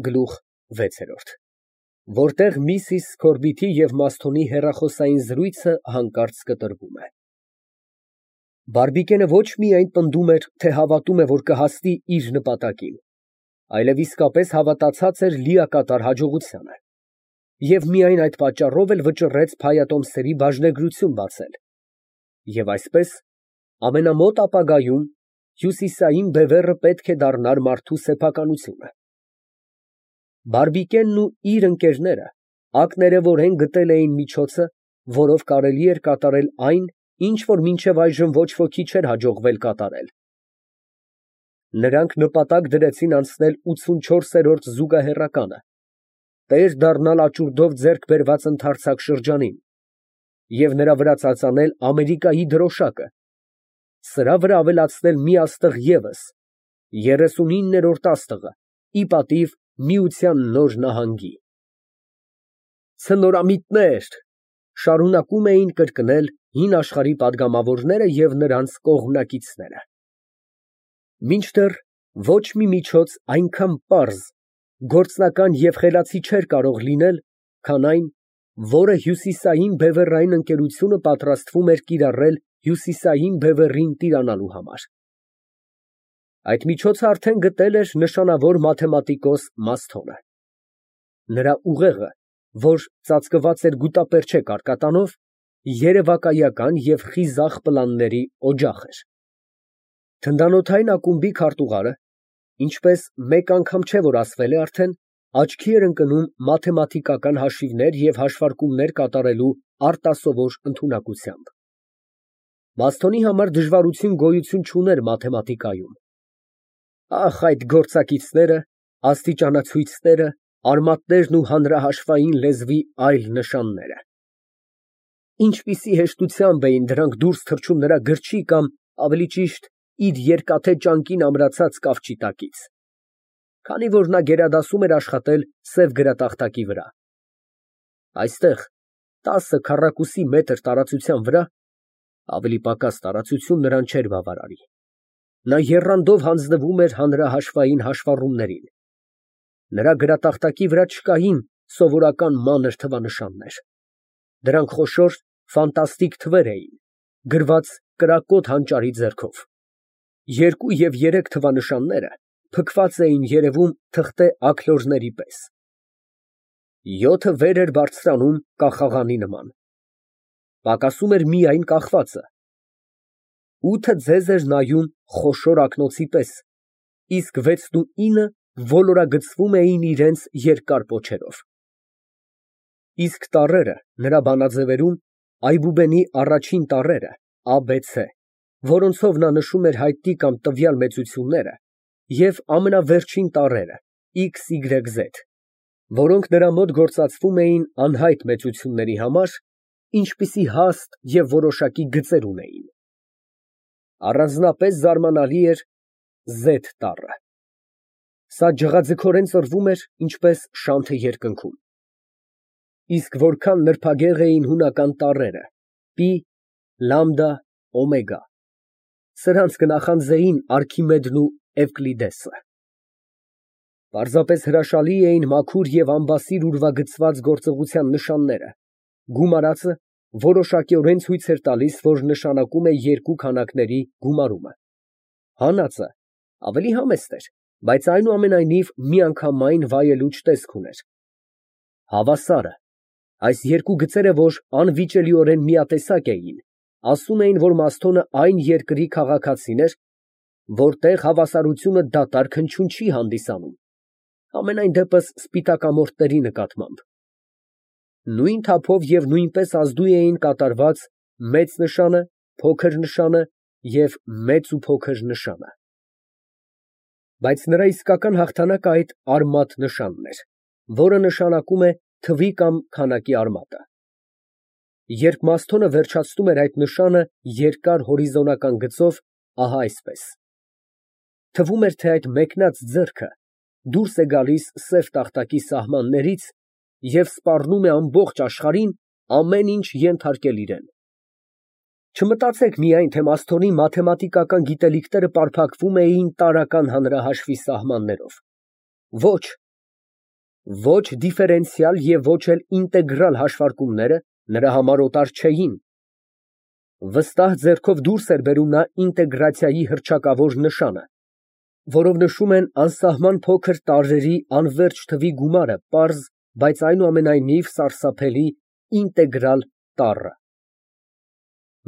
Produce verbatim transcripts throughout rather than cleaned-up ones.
Գլուխ վեցերորդ, որտեղ միսիս Սքորբիթի և Մասթոնի հեռախոսային զրույցը հանկարծ կտրվում է։ Բարբիկենը ոչ միայն պնդում էր, թե հավատում է, որ կհասնի իր նպատակին, այլև իսկապես հավատացած էր լիակատար հաջողությանը, և միայն այդ պատճառով էլ վճռեց փայատոմսերի բաժնեգրություն բացել, և այսպես, ամենամոտ ապագայում, հյուսիսային բևեռը պետք է դառնար մարդու սեփականությունը։ Բարբիկենն ու իր ընկերները ակներևորեն գտել էին միջոցը, որով կարելի էր կատարել այն, ինչ որ մինչև այժմ ոչ ոքի չէր հաջողվել կատարել։ Նրանք նպատակ դրեցին անցնել ութսունչորսերորդ զուգահեռականը, տեր դառնալ աճուրդով ձեռք բերված ընդարձակ շրջանին և նրա վրա ծածանել Ամերիկայի դրոշակը, սրա վրա ավելացնել մի աստղ ևս, երեսունիններորդ աստղը, ի պատիվ Միության նոր նահանգի։ Ցնորամիտներ, շարունակում էին կրկնել հին աշխարհի պատգամավորները և նրանց կողմնակիցները։ Մինչդեռ ոչ մի միջոց այնքան պարզ, գործնական և խելացի չէր կարող լինել, քան այն, որը հյուսիսային բևեռային ընկերությունը պատրաստվում էր կիրառել հյուսիսային բևեռին տիրանալու համար։ Այդ միջոցը արդեն գտել էր նշանավոր մաթեմատիկոս Մասթոնը։ Նրա ուղեղը, որ ծածկված էր գուտապերճե կարկատանով, երևակայական և խիզախ պլանների օջախ էր։ Թնդանոթային ակումբի քարտուղարը, ինչպես մեկ անգամ չէ, որ ասվել է արդեն, աչքի էր ընկնում մաթեմատիկական հաշիվներ և հաշվարկումներ կատարելու արտասովոր ընդունակությամբ։ Մասթոնի համար դժվարություն գոյություն չուներ մաթեմատիկայում։ Ախ, այդ գործակիցները, աստիճանացույցները, արմատներն ու հանրահաշվային լեզվի այլ նշանները։ Ինչպիսի հեշտությամբ էին դրանք դուրս թռչում նրա գրչի կամ, ավելի ճիշտ, իր երկաթե ճանկին ամրացած կավճի տակից, քանի որ նա գերադասում էր աշխատել սև գրատախտակի վրա։ Այստեղ, տասը քառակուսի մետր տարածության վրա (ավելի պակաս տարածություն նրան չէր բավարարի) նա եռանդով հանձնվում էր հանրահաշվային հաշվառումներին։ Նրա գրատախտակի վրա չկային սովորական մանր թվանշաններ. դրանք խոշոր, ֆանտաստիկ թվեր էին, գրված կրակոտ հանճարի ձեռքով։ Երկու և երեք թվանշանները փքված էին երևում թղթե աքլորների պես։ Յոթը վեր էր բարձրանում կախաղանի նման։ Պակասում էր միայն կախվածը։ Ութը ձեզ էր նայում խոշոր ակնոցի պես, իսկ վեցնուինը ոլորագծվում էին իրենց երկար պոչերով։ Իսկ տառերը նրա բանաձևերում այբուբենի առաջին տառերը ա, բ, ց, որոնցով նա նշում էր հայտնի կամ տվյալ մեծությունները, և ամենավերջին տառերը X, Y, Z, որոնք նրա մոտ գործածվում էին անհայտ մեծությունների համար, ինչպիսի հաստ և որոշակի գծեր ունեին։ Առանձնապես զարմանալի էր Z տառը։ Սա ջղաձգորեն ծռվում էր, ինչպես շանթը երկնքում։ Իսկ որքան նրբագեղ էին հունական տառերը պի, լամդա, օմեգա, սրանց կնախանձեին Արքիմեդն ու Էվկլիդեսը։ Պարզապես հրաշալի էին մաքուր և անբասիր ուրվագծված գործողության նշանները, գումարածը որոշակիորեն ցույց էր տալիս, որ նշանակում է երկու քանակների գումարումը։ Հանածը ավելի համեստ էր, բայց այնուամենայնիվ միանգամայն վայելուչ տեսք ուներ։ Հավասարը, այս երկու գծերը, որ անվիճելիորեն միատեսակ էին, ասում էին, որ Մասթոնը այն երկրի քաղաքացին էր, որտեղ հավասարությունը դատարկ հնչյուն չի հանդիսանում, համենայն դեպս սպիտակամորթների նկատմամբ։ Նույն թափով և նույնպես ազդու էին կատարված մեծ նշանը, փոքր նշանը և մեծ ու փոքր նշանը։ Բայց նրա իսկական հաղթանակը այդ արմատ նշանն էր, որը նշանակում է թվի կամ քանակի արմատը։ Երբ Մասթոնը վերջացնում էր այդ նշանը երկար հորիզոնական գծով, ահա այսպես, թվում էր, թե այդ մեկնած ձեռքը դուրս է գալիս սև տախտակի սահմաններից և սպառնում է ամբողջ աշխարհին ամեն ինչ ենթարկել իրան։ Չմտածեք միայն, թե Մասթոնի մաթեմատիկական գիտելիքները պարփակվում էին տարրական հանրահաշվի սահմաններով։ Ոչ, Ոչ դիֆերենցիալ և ոչ էլ ինտեգրալ հաշվարկումները նրա համար օտար չէին։ Վստահ ձեռքով դուրս էր բերում նա ինտեգրացիայի հռչակավոր նշանը, որով նշում են անսահման փոքր տարրերի անվերջ թվի գումարը պարզ, բայց այնուամենայնիվ սարսափելի ինտեգրալ տառը։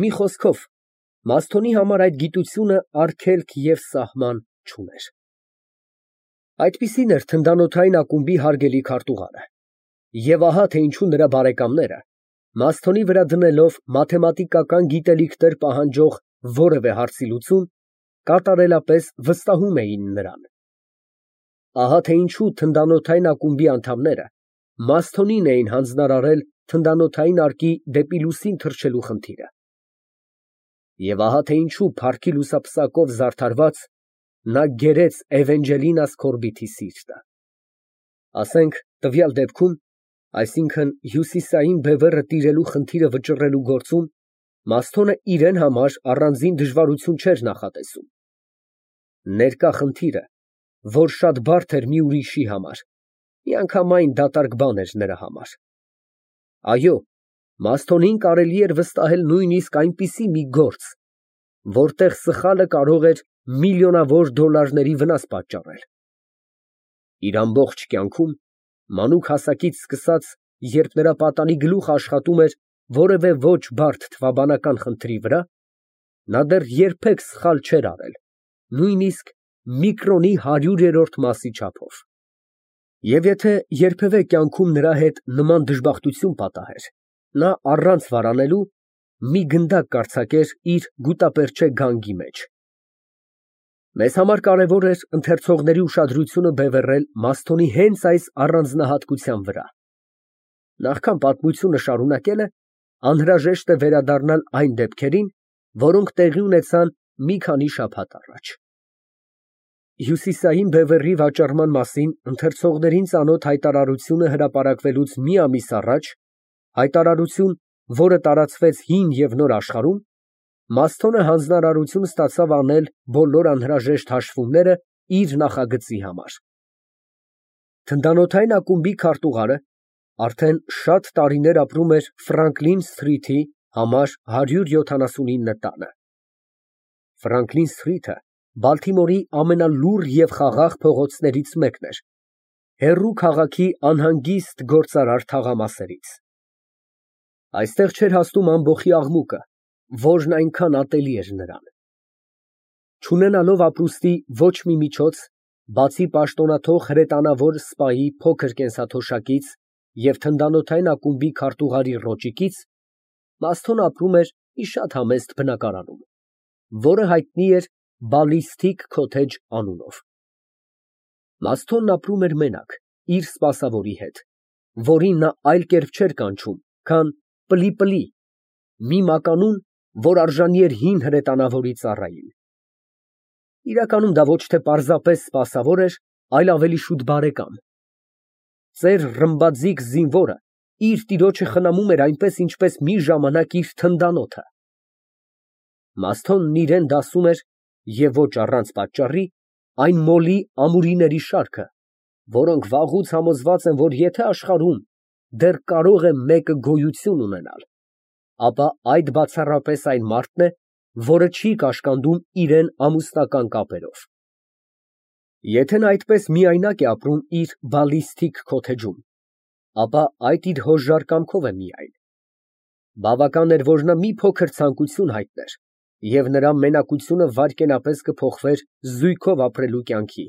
Մի խոսքով, Մասթոնի համար այդ գիտությունը արգելք և սահման չուներ։ Այդպիսին էր թնդանոթային ակումբի հարգելի քարտուղարը։ Եվ ահա թե ինչու նրա բարեկամները, Մասթոնի վրա դնելով մաթեմատիկական գիտելիքներ պահանջող որևէ հարցի լուծում, կատարելապես վստահում էին նրան։ Ահա թե ինչու թնդանոթային ակումբի անդամները Մասթոնին էին հանձնարարել թնդանոթային արկի դեպի լուսին թռչելու խնդիրը։ Եվ ահա թե ինչու փառքի լուսապսակով զարդարված նա գերեց Էվենջելինաս Քորբիթի սիրտը։ Ասենք տվյալ դեպքում, այսինքն հյուսիսային բևեռը տիրելու խնդիրը վճռելու գործում, Մասթոնը իրեն համար առանձին դժվարություն չէր նախատեսում։ Ներկա խնդիրը, որ շատ բարդ էր մի ուրիշի համար, միանգամայն դատարկ բան էր նրա համար։ Այո, Մասթոնին կարելի էր վստահել նույնիսկ այնպիսի մի գործ, որտեղ սխալը կարող էր միլիոնավոր դոլարների վնաս պատճառել։ Իր ամբողջ կյանքում, մանուկ հասակից սկսած, երբ նրա պատանի գլուխը աշխատում էր որևէ ոչ բարդ թվաբանական խնդրի վրա, նա դեռ երբեք սխալ չէր արել, նույնիսկ միկրոնի հարյուրերորդ մասի չափով։ Եվ եթե երբևէ կյանքում նրա հետ նման դժբախտություն պատահեր, նա առանց վարանելու մի գնդակ կարձակեր իր գուտապերճե գանգի մեջ։ Մեզ համար կարևոր էր ընթերցողների ուշադրությունը բևեռել Մասթոնի հենց այս առանձնահատկության վրա։ Նախքան պատմությունը շարունակելը, անհրաժեշտ է վերադառնալ այն դեպքերին, որոնք տեղի ունեցան մի քանի շաբաթ առաջ։ Հյուսիսային բևեռի վաճառման մասին ընթերցողներին ծանոթ հայտարարությունը հրապարակվելուց մի ամիս առաջ, հայտարարություն, որը տարածվեց հին և նոր աշխարհում, Մասթոնը հանձնարարություն ստացավ անել բոլոր անհրաժեշտ հաշվումները իր նախագծի համար։ Թնդանոթային ակումբի քարտուղարը արդեն շատ տարիներ ապրում էր Ֆրանկլին Սթրիթի համար հարյուր յոթանասունինը տանը։ Ֆրանկլին Սթրիթը Բալթիմորի ամենալուռ և խաղաղ փողոցներից մեկն էր, հեռու քաղաքի անհանգիստ գործարար թաղամասերից։ Այստեղ չէր հասնում ամբոխի աղմուկը, որն այնքան ատելի էր նրան։ Չունենալով ապրուստի ոչ մի միջոց, բացի պաշտոնաթող հրետանավոր սպայի փոքր կենսաթոշակից և թնդանոթային ակումբի քարտուղարի ռոճիկից, Մասթոնը ապրում էր մի շատ համեստ բնակարանում, որը հայտնի էր Բալիստիկ քոթեջ անունով։ Մասթոնն ապրում էր մենակ, իր սպասավորի հետ, որին նա այլ կերպ չէր կանչում, քան Պլի֊Պլի, մի մականուն, որ արժանի էր հին հրետանավորի ծառային։ Իրականում դա ոչ թե պարզապես սպասավոր էր, այլ ավելի շուտ բարեկամ։ Ծեր ռմբաձիգ զինվորը իր տիրոջը խնամում էր այնպես, ինչպես մի ժամանակ իր թնդանոթը։ Մասթոնն իրան դասում էր, և ոչ առանց պատճառի, այն մոլի ամուրիների շարքը, որոնք վաղուց համոզված են, որ եթե աշխարհում դեռ կարող է մեկը գոյություն ունենալ, ապա այդ բացառապես այն մարդն է, որը չի կաշկանդում իրան ամուսնական կապերով։ Եթե նա այդպես միայնակ է ապրում իր բալիստիկ քոթեջում, ապա այդ իր հոժար կամքով է միայն։ Բավական էր, որ նա մի փոքր ցանկություն հայտներ, և նրա մենակությունը վայրկենապես կփոխվեր զույգով ապրելու կյանքի,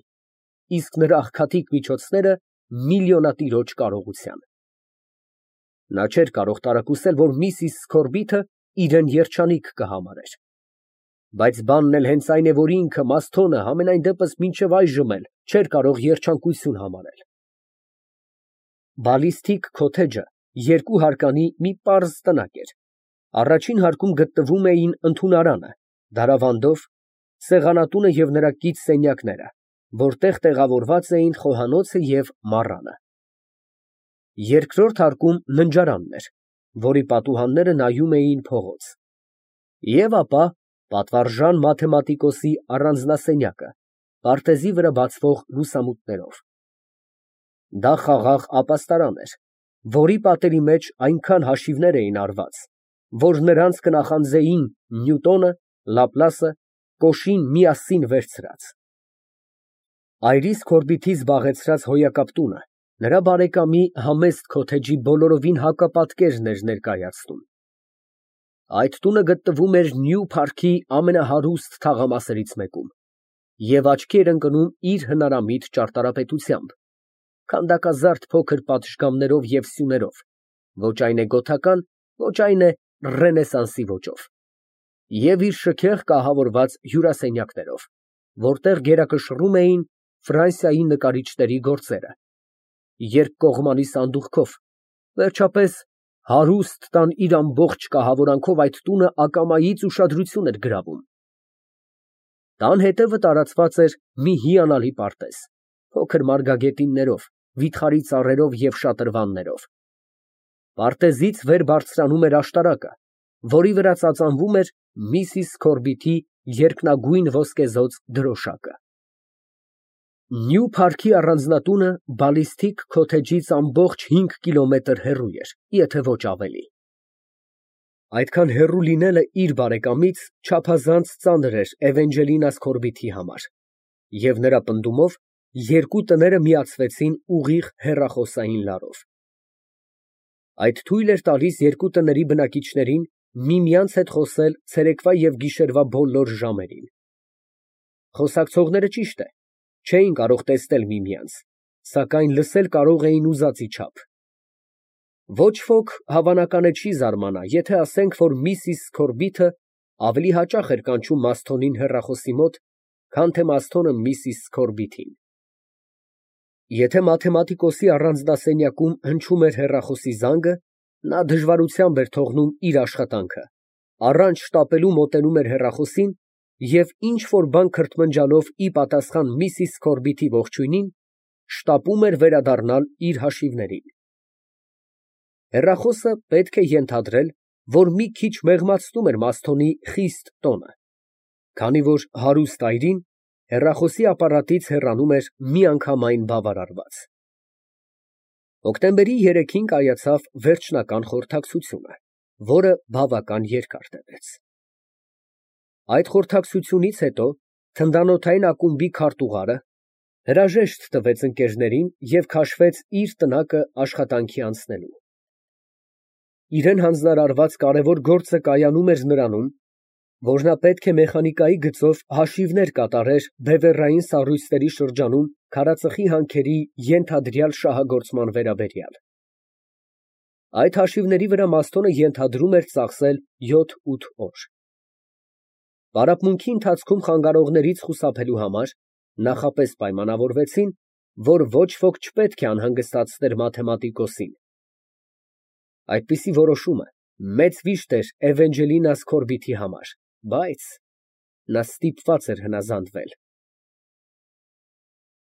իսկ նրա աղքատիկ միջոցները միլիոնատիրոջ կարողության։ Նա չէր կարող տարակուսել, որ միսիս Սքորբիթը իրան երջանիկ կհամարեր։ Բայց բանն էլ հենց այն է, որ ինքը Մասթոնը համենայն դեպս մինչև այժմ էլ չէր կարող երջանկություն համարել։ Բալիստիկ քոթեջը երկու հարկանի մի պարզ տնակ էր։ Առաջին հարկում գտնվում էին ընդունարանը, դարավանդով, սեղանատունը և նրա կից սենյակները, որտեղ տեղավորված էին խոհանոցը և մառանը։ Երկրորդ հարկում ննջարանն էր, որի պատուհանները նայում էին փողոց։ Եվ ապա պատվարժան մաթեմատիկոսի առանձնասենյակը, պարտեզի վրա բացվող լուսամուտներով։ Դա խաղաղ ապաստարան էր, որի պատերի մեջ այնքան հաշիվներ էին արված, որ նրանց կնախանձեին Նյուտոնը, Լապլասը, Կոշին միասին վերցրած։ Այրիս քորբիթի զբաղեցրած հոյակապ տունը նրա բարեկամի համեստ քոթեջի բոլորովին հակապատկերն էր ներկայացնում։ Այդ տունը գտնվում էր Նյու Փարքի ամենահարուստ թաղամասերից մեկում և աչքի էր ընկնում իր հնարամիտ ճարտարապետությամբ, քանդակազարդ փոքր պատշգամբներով և սյուներով, ոչ այն է գոթական, ոչ այն է ռենեսանսի ոճով, և իր շքեղ կահավորված հյուրասենյակներով, որտեղ գերակշռում էին Ֆրանսիայի նկարիչների գործերը, երկկողմանի սանդուղքով, վերջապես, հարուստ տան իր ամբողջ կահավորանքով այդ տունը ակամայից ուշադրություն էր գրավում։ Տան հետևը տարածված էր մի հիանալի պարտեզ, փոքր մարգագետիններով, վիթխարի ծառերով և շատրվաններով։ Պարտեզից վեր բարձրանում էր աշտարակը, որի վրա ծածանվում էր Միսիս Քորբիթի երկնագույն ոսկեզօծ դրոշակը։ Նյու Փարքի առանձնատունը բալիստիկ քոթեջից ամբողջ հինգ կիլոմետր հեռու էր, եթե ոչ ավելի։ Այդքան հեռու լինելը իր բարեկամից չափազանց ծանր էր Էվենջելինաս Քորբիթի համար, և նրա պնդումով երկու տները միացվեցին ուղիղ հեռախոսային լարով։ Այդ թույլ էր տալիս երկու տների բնակիչներին միմյանց հետ խոսել ցերեկվա և գիշերվա բոլոր ժամերին։ Խոսակցողները, ճիշտ է, չէին կարող տեսնել միմյանց, սակայն լսել կարող էին ուզածի չափ։ Ոչ ոք, հավանական է, չի զարմանա, եթե ասենք, որ Միսիս Քորբիթը ավելի հաճախ էր կանչում Մասթոնին հեռախոսի մոտ, քան թե Մասթոնը Միսիս Քորբիթին։ Եթե մաթեմատիկոսի առանձնասենյակում հնչում էր հեռախոսի զանգը, նա դժվարությամբ էր թողնում իր աշխատանքը, առանց շտապելու մոտենում էր հեռախոսին և ինչ֊որ բան քրթմնջալով ի պատասխան Միսիս Քորբիթի ողջույնին, շտապում էր վերադառնալ իր հաշիվներին։ Հեռախոսը, պետք է ենթադրել, որ մի քիչ մեղմացնում էր Մասթոնի խիստ տոնը, քանի որ հարուստ այրին հեռախոսի ապարատից հեռանում էր միանգամայն բավարարված։ Հոկտեմբերի երեքին կայացավ վերջնական խորհրդակցությունը, որը բավական երկար տևեց։ Այդ խորհրդակցությունից հետո թնդանոթային ակումբի քարտուղարը հրաժեշտ տվեց ընկերներին և քաշվեց իր տնակը աշխատանքի անցնելու։ Իրան հանձնարարված կարևոր գործը կայանում էր նրանում, որ նա պետք է մեխանիկայի գծով հաշիվներ կատարեր բևեռային սառույցների շրջանում քարածխի հանքերի ենթադրյալ շահագործման վերաբերյալ։ Այդ հաշիվների վրա Մասթոնը ենթադրում էր ծախսել յոթ֊ութ օր։ Պարապմունքի ընթացքում խանգարողներից խուսափելու համար նախապես պայմանավորվեցին, որ ոչ ոք չպետք է անհանգստացներ մաթեմատիկոսին։ Այդպիսի որոշումը մեծ վիշտ էր Էվենջելինաս Քորբիթի համար, բայց նա ստիպված էր հնազանդվել։